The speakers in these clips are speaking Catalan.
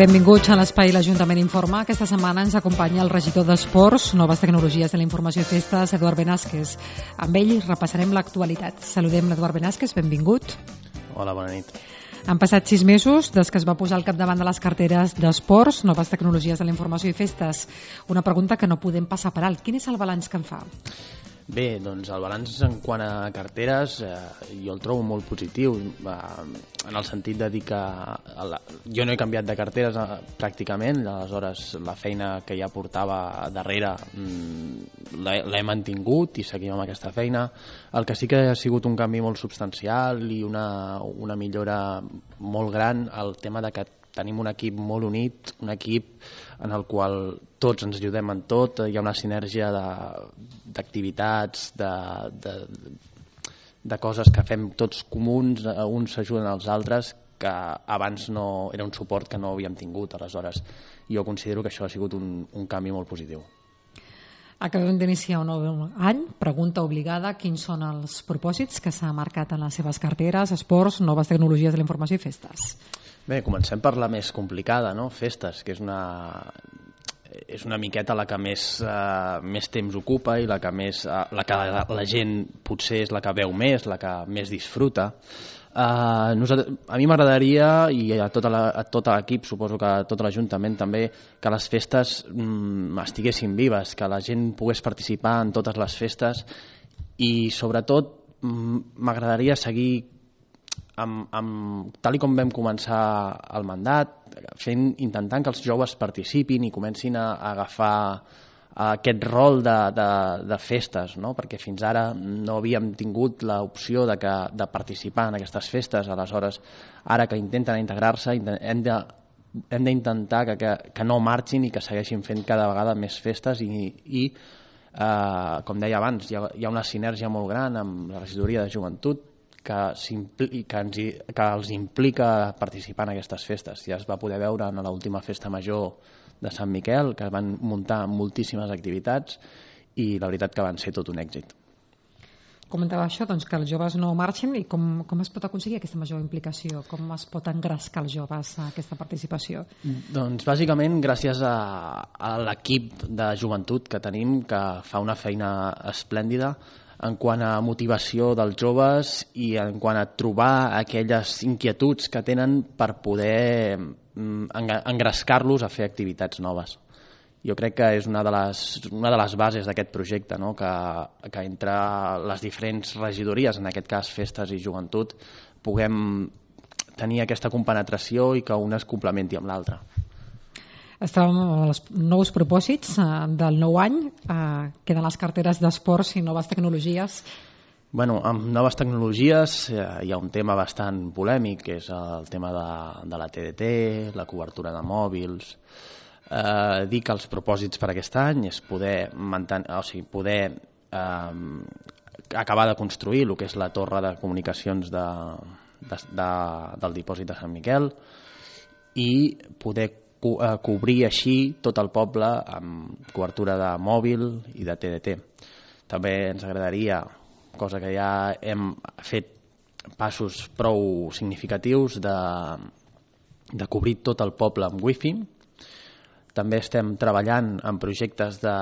Benvinguts a l'Espai l'Ajuntament Informa. Aquesta setmana ens acompanya el regidor d'Esports, Noves Tecnologies de la Informació i Festes, Eduard Benasquez. Amb ell repassarem l'actualitat. Saludem l'Eduard Benasquez, benvingut. Hola, bona nit. Han passat 6 mesos des que es va posar al capdavant de les carteres d'Esports, Noves Tecnologies de la Informació i Festes. Una pregunta que no podem passar per alt. Quin és el balanç que en fa? Bé, doncs el balanç en quant a carteres jo el trobo molt positiu, en el sentit de dir que jo no he canviat de carteres pràcticament, aleshores la feina que ja portava darrere l'he mantingut i seguim amb aquesta feina. El que sí que ha sigut un canvi molt substancial i una millora molt gran, el tema de que tenim un equip molt unit, un equip en el qual tots ens ajudem en tot, hi ha una sinergia d'activitats, de coses que fem tots comuns, uns s'ajuden als altres, que abans no era un suport que no havíem tingut. Aleshores, jo considero que això ha sigut un canvi molt positiu. Acabem d'iniciar un nou any. Pregunta obligada: quins són els propòsits que s'ha marcat en les seves carteres, Esports, Noves Tecnologies de la Informació i Festes? Bé, comencem per la més complicada, no? Festes, que és una miqueta la que més temps ocupa i la que la gent potser és la que veu més, la que més disfruta. A mi m'agradaria, i a tot l'equip, suposo que a tot l'Ajuntament també, que les festes estiguessin vives, que la gent pogués participar en totes les festes i sobretot m'agradaria seguir tal com vam començar el mandat, intentant que els joves participin i comencin a agafar aquest rol de festes, no? Perquè fins ara no havíem tingut l'opció de participar en aquestes festes. Aleshores, ara que intenten integrar-se, hem d'intentar que no marxin i que segueixin fent cada vegada més festes i com deia abans, hi ha una sinergia molt gran amb la regidoria de joventut que els implica participar en aquestes festes. Ja es va poder veure en l'última festa major de Sant Miquel, que van muntar moltíssimes activitats i la veritat que van ser tot un èxit. Comentava això, doncs, que els joves no marxin, i com es pot aconseguir aquesta major implicació? Com es pot engrescar els joves a aquesta participació? Doncs bàsicament gràcies a l'equip de joventut que tenim, que fa una feina esplèndida en quant a motivació dels joves i en quant a trobar aquelles inquietuds que tenen per poder engrescar-los a fer activitats noves. Jo crec que és una de les bases d'aquest projecte, no? Que entre les diferents regidories, en aquest cas festes i joventut, puguem tenir aquesta compenetració i que una es complementi amb l'altra. Estàvem als nous propòsits del nou any. Queden les carteres d'Esports i Noves Tecnologies. Bueno, amb Noves Tecnologies hi ha un tema bastant polèmic, que és el tema de la TDT, la cobertura de mòbils. Dir que els propòsits per aquest any és poder acabar de construir el que és la torre de comunicacions del dipòsit de Sant Miquel i poder cobrir així tot el poble amb cobertura de mòbil i de TDT. També ens agradaria, cosa que ja hem fet passos prou significatius, de cobrir tot el poble amb wifi. També estem treballant en projectes de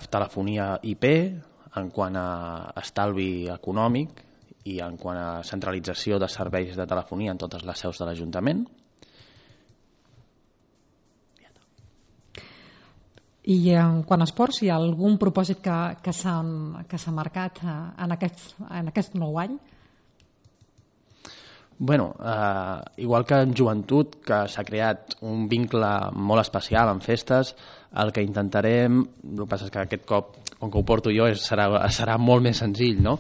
telefonia IP en quant a estalvi econòmic i en quant a centralització de serveis de telefonia en totes les seus de l'Ajuntament. I en quant a esports, hi ha algun propòsit que s'ha marcat en aquest nou any? Bueno, igual que en joventut, que s'ha creat un vincle molt especial en festes, el que intentarem, el que passa és que aquest cop, com que ho porto jo, serà molt més senzill, no?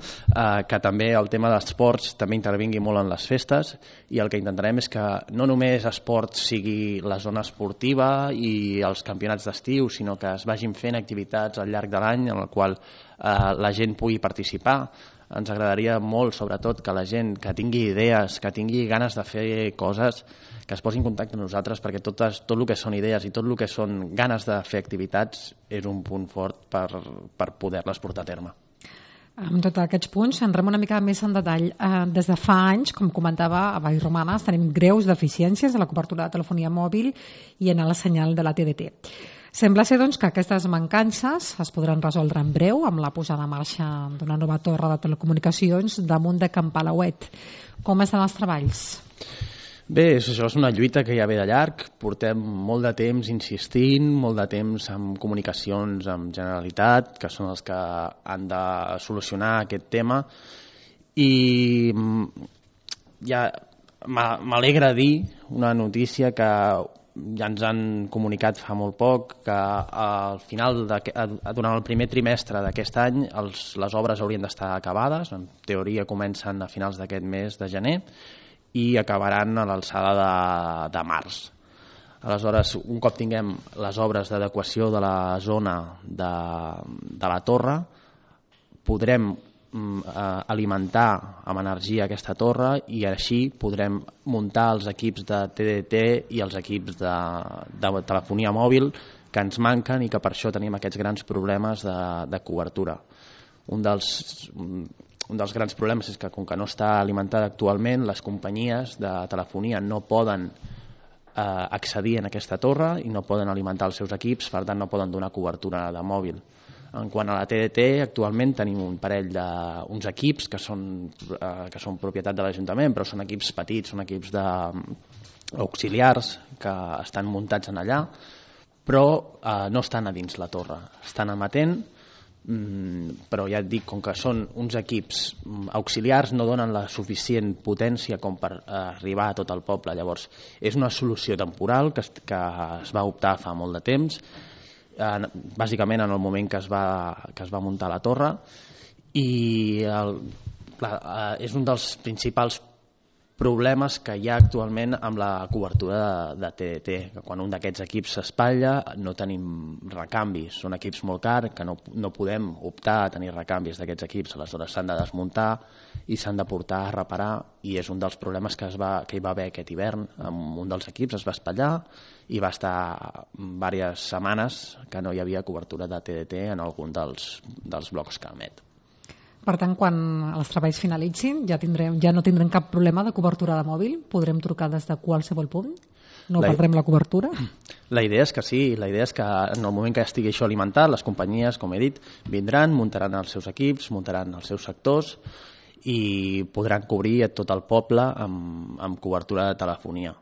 Que també el tema dels esports també intervingui molt en les festes, i el que intentarem és que no només esport sigui la zona esportiva i els campionats d'estiu, sinó que es vagin fent activitats al llarg de l'any en el qual la gent pugui participar. Ens agradaria molt, sobretot, que la gent que tingui idees, que tingui ganes de fer coses, que es posi en contacte amb nosaltres, perquè tot el que són idees i tot el que són ganes de fer activitats és un punt fort per poder-les portar a terme. Amb tots aquests punts entrem una mica més en detall. Des de fa anys, com comentava a Vallromanes, tenim greus deficiències a la cobertura de telefonia mòbil i en el senyal de la TDT. Sembla ser doncs, que aquestes mancances es podran resoldre en breu amb la posada en marxa d'una nova torre de telecomunicacions damunt de Can Palauet. Com estan els treballs? Bé, això és una lluita que ja ve de llarg. Portem molt de temps insistint, molt de temps amb comunicacions amb Generalitat, que són els que han de solucionar aquest tema. I ja m'alegra dir una notícia que ja ens han comunicat fa molt poc, que al final, durant el primer trimestre d'aquest any, les obres haurien d'estar acabades. En teoria comencen a finals d'aquest mes de gener i acabaran a l'alçada de març. Aleshores, un cop tinguem les obres d'adequació de la zona de la torre, podrem alimentar amb energia aquesta torre i així podrem muntar els equips de TDT i els equips de telefonia mòbil que ens manquen i que per això tenim aquests grans problemes de cobertura. Un dels grans problemes és que, com que no està alimentada actualment, les companyies de telefonia no poden accedir en aquesta torre i no poden alimentar els seus equips, per tant no poden donar cobertura de mòbil. En quant a la TDT, actualment tenim un parell d'uns equips que són propietat de l'Ajuntament, però són equips petits, són equips auxiliars que estan muntats en allà, però no estan a dins la torre, estan emetent, però ja et dic, com que són uns equips auxiliars, no donen la suficient potència com per arribar a tot el poble. Llavors és una solució temporal que es va optar fa molt de temps, bàsicament en el moment que es va muntar la torre, i és un dels principals problemes que hi ha actualment amb la cobertura de TDT, que quan un d'aquests equips s'espatlla no tenim recanvis, són equips molt cars que no podem optar a tenir recanvis d'aquests equips, aleshores s'han de desmuntar i s'han de portar a reparar, i és un dels problemes que hi va haver aquest hivern. Amb un dels equips es va espatllar i va estar diverses setmanes que no hi havia cobertura de TDT en algun dels blocs que emet. Per tant, quan els treballs finalitzin, ja no tindrem cap problema de cobertura de mòbil? Podrem trucar des de qualsevol punt? No perdrem la cobertura? La idea és que sí, la idea és que en el moment que estigui això alimentat, les companyies, com he dit, vindran, muntaran els seus equips, muntaran els seus sectors i podran cobrir tot el poble amb cobertura de telefonia.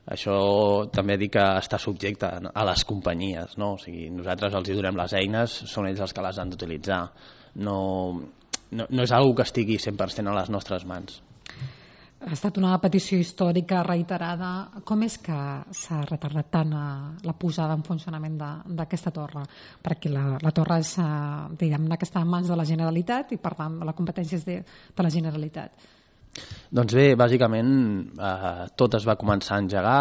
Això també dic que està subjecte a les companyies, no? O sigui, nosaltres els donem les eines, són ells els que les han d'utilitzar. No és una que estigui 100% a les nostres mans. Ha estat una petició històrica reiterada. Com és que s'ha retardat tant la posada en funcionament d'aquesta torre? Perquè la torre és, diguem-ne, que està en mans de la Generalitat i, per tant, la competència és de la Generalitat. Doncs bé, bàsicament tot es va començar a engegar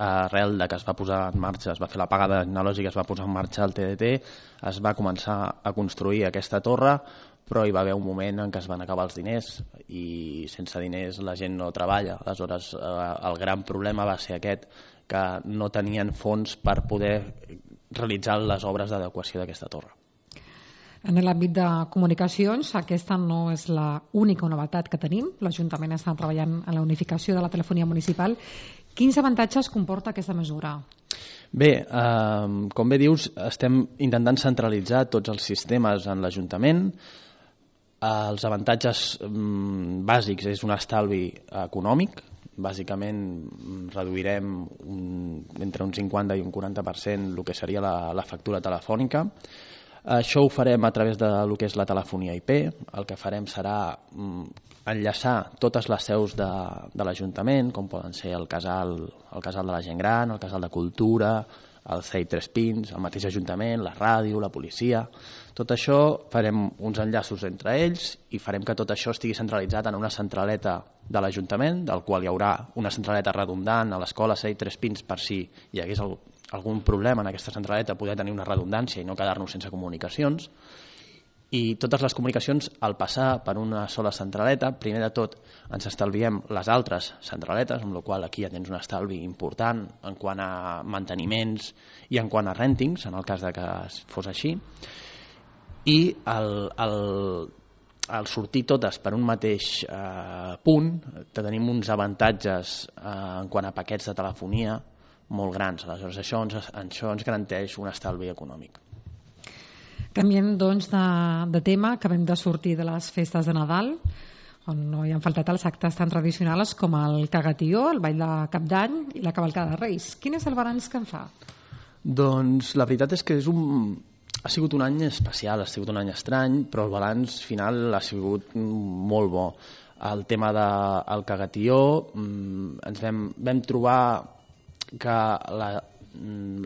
arrel de que es va posar en marxa, es va fer la pagada tecnològica, es va posar en marxa el TDT, es va començar a construir aquesta torre, però hi va haver un moment en què es van acabar els diners i sense diners la gent no treballa. Aleshores el gran problema va ser aquest, que no tenien fons per poder realitzar les obres d'adequació d'aquesta torre. En l'àmbit de comunicacions, aquesta no és l'única novetat que tenim. L'Ajuntament està treballant en la unificació de la telefonia municipal. Quins avantatges comporta aquesta mesura? Bé, com bé dius, estem intentant centralitzar tots els sistemes en l'Ajuntament. Els avantatges bàsics és un estalvi econòmic. Bàsicament reduirem entre un 50 i un 40% el que seria la factura telefònica. Això ho farem a través del que és la telefonia IP. El que farem serà enllaçar totes les seus de l'Ajuntament, com poden ser el casal de la gent gran, el casal de cultura, el CEI Tres Pins, el mateix Ajuntament, la ràdio, la policia. Tot això farem uns enllaços entre ells i farem que tot això estigui centralitzat en una centraleta de l'Ajuntament, del qual hi haurà una centraleta redundant a l'escola CEI Tres Pins per si hi hagués algun problema en aquesta centraleta, poder tenir una redundància i no quedar-nos sense comunicacions. I totes les comunicacions, al passar per una sola centraleta, primer de tot ens estalviem les altres centraletes, amb la qual aquí ja tens un estalvi important en quant a manteniments i en quant a rèntings, en el cas de que fos així. I al sortir totes per un mateix punt, tenim uns avantatges en quant a paquets de telefonia molt grans. Aleshores, això ens garanteix un estalvi econòmic. Canviem, doncs, de tema. Acabem de sortir de les festes de Nadal, on no hi han faltat els actes tan tradicionals com el cagatió, el ball de Cap d'Any i la cavalcada de Reis. Quin és el balanç que en fa? Doncs la veritat és que ha sigut un any especial, ha sigut un any estrany, però el balanç final ha sigut molt bo. El tema del cagatió, ens vam trobar que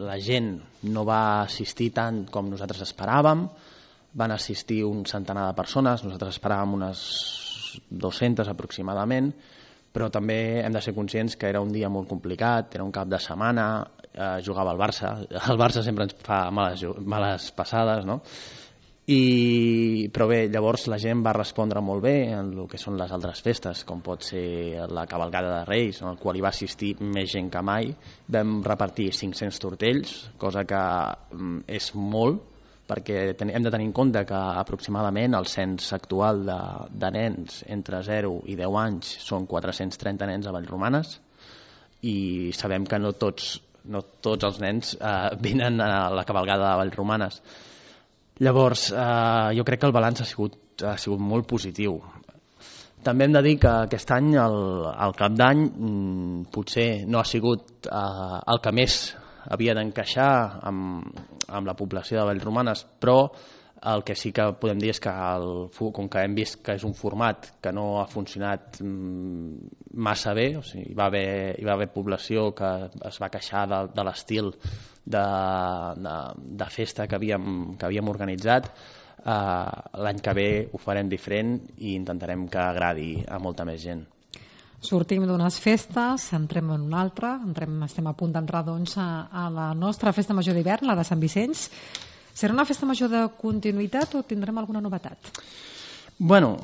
la gent no va assistir tant com nosaltres esperàvem. Van assistir un centenar de persones, nosaltres esperàvem unes 200 aproximadament, però també hem de ser conscients que era un dia molt complicat, era un cap de setmana, jugava el Barça. El Barça sempre ens fa males passades, no? Però bé, llavors la gent va respondre molt bé en el que són les altres festes, com pot ser la cavalcada de Reis, en el qual hi va assistir més gent que mai. Vam repartir 500 tortells, cosa que és molt, perquè hem de tenir en compte que aproximadament el cens actual de nens entre 0 i 10 anys són 430 nens a Vallromanes, i sabem que no tots els nens venen a la cavalgada de Vallromanes. Llavors, jo crec que el balanç ha sigut molt positiu. També hem de dir que aquest any el Cap d'Any potser no ha sigut el que més havia d'encaixar amb la població de Vallromanes, però el que sí que podem dir és que, com que hem vist que és un format que no ha funcionat massa bé, o sigui, hi va haver població que es va queixar de l'estil de festa que havíem organitzat, l'any que ve ho farem diferent i intentarem que agradi a molta més gent. Sortim d'unes festes, entrem en una altra, estem a punt d'entrar doncs, a la nostra festa major d'hivern, la de Sant Vicenç. Serà una festa major de continuïtat o tindrem alguna novetat? Bueno,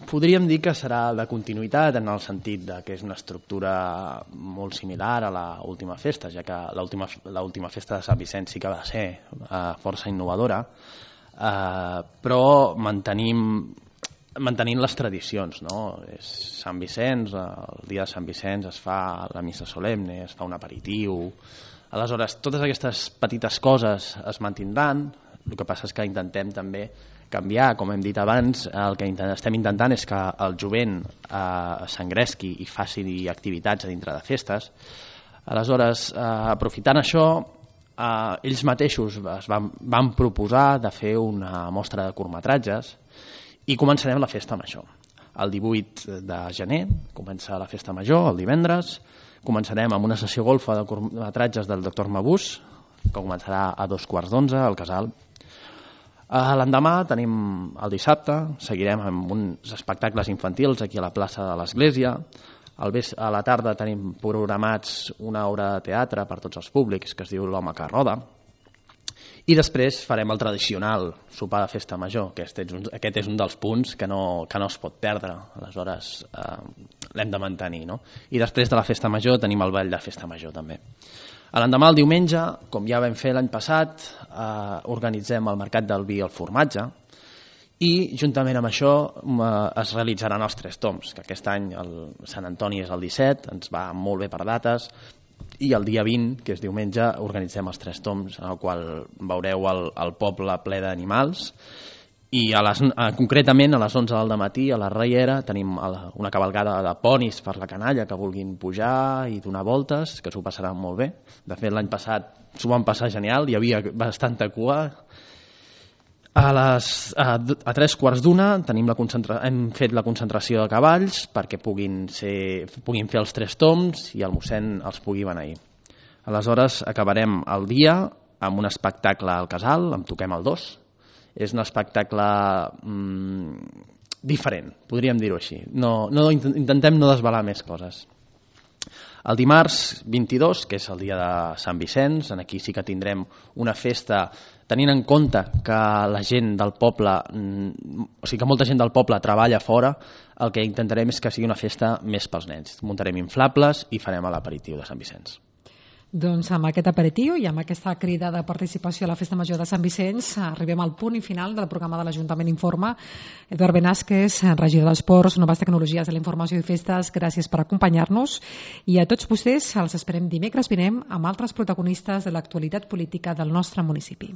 podríem dir que serà de continuïtat en el sentit que és una estructura molt similar a l'última festa, ja que l'última festa de Sant Vicenç sí que va ser força innovadora, però mantenint les tradicions, no? És Sant Vicenç, el dia de Sant Vicenç es fa la missa solemne, es fa un aperitiu. Aleshores, totes aquestes petites coses es mantindran. El que passa és que intentem també canviar, com hem dit abans. El que estem intentant és que el jovent s'engresqui i faci activitats a dintre de festes. Aleshores, aprofitant això, ells mateixos van proposar de fer una mostra de curtmetratges i començarem la festa major. El 18 de gener comença la festa major, el divendres. Començarem amb una sessió golfa de curtmetratges del Dr. Mabús, que començarà a 2:15 al Casal. L'endemà tenim el dissabte, seguirem amb uns espectacles infantils aquí a la plaça de l'Església. A la tarda tenim programats una obra de teatre per tots els públics que es diu L'home que roda. I després farem el tradicional sopar de festa major, que aquest és un dels punts que no es pot perdre, aleshores l'hem de mantenir, no? I després de la festa major tenim el ball de festa major també. L'endemà, el diumenge, com ja vam fer l'any passat, organitzem el mercat del vi i el formatge, i juntament amb això es realitzaran els 3 tombs, que aquest any el Sant Antoni és el 17, ens va molt bé per dates, i el dia 20, que és diumenge, organitzem els 3 tombs, en el qual veureu el poble ple d'animals, i concretament a les 11 del matí a la Riera tenim una cavalgada de ponis per la canalla que vulguin pujar i donar voltes, que s'ho passaran molt bé. De fet, l'any passat s'ho van passar genial, hi havia bastanta cua. A 3:15 hem fet la concentració de cavalls perquè puguin fer els 3 tombs i el mossèn els pugui beneir. Aleshores acabarem el dia amb un espectacle al Casal, amb Toquem el 2. És un espectacle diferent, podríem dir-ho així. Intentem no desvelar més coses. El dimarts 22, que és el dia de Sant Vicenç, aquí sí que tindrem una festa tenint en compte que la gent del poble, o sigui que molta gent del poble treballa fora. El que intentarem és que sigui una festa més pels nens. Muntarem inflables i farem l'aperitiu de Sant Vicenç. Doncs amb aquest aperitiu i amb aquesta crida de participació a la Festa Major de Sant Vicenç arribem al punt i final del programa de l'Ajuntament Informa. Eduard Benasquez, regidor d'Esports, Noves Tecnologies de la Informació i Festes, gràcies per acompanyar-nos i a tots vostès els esperem dimecres vinent amb altres protagonistes de l'actualitat política del nostre municipi.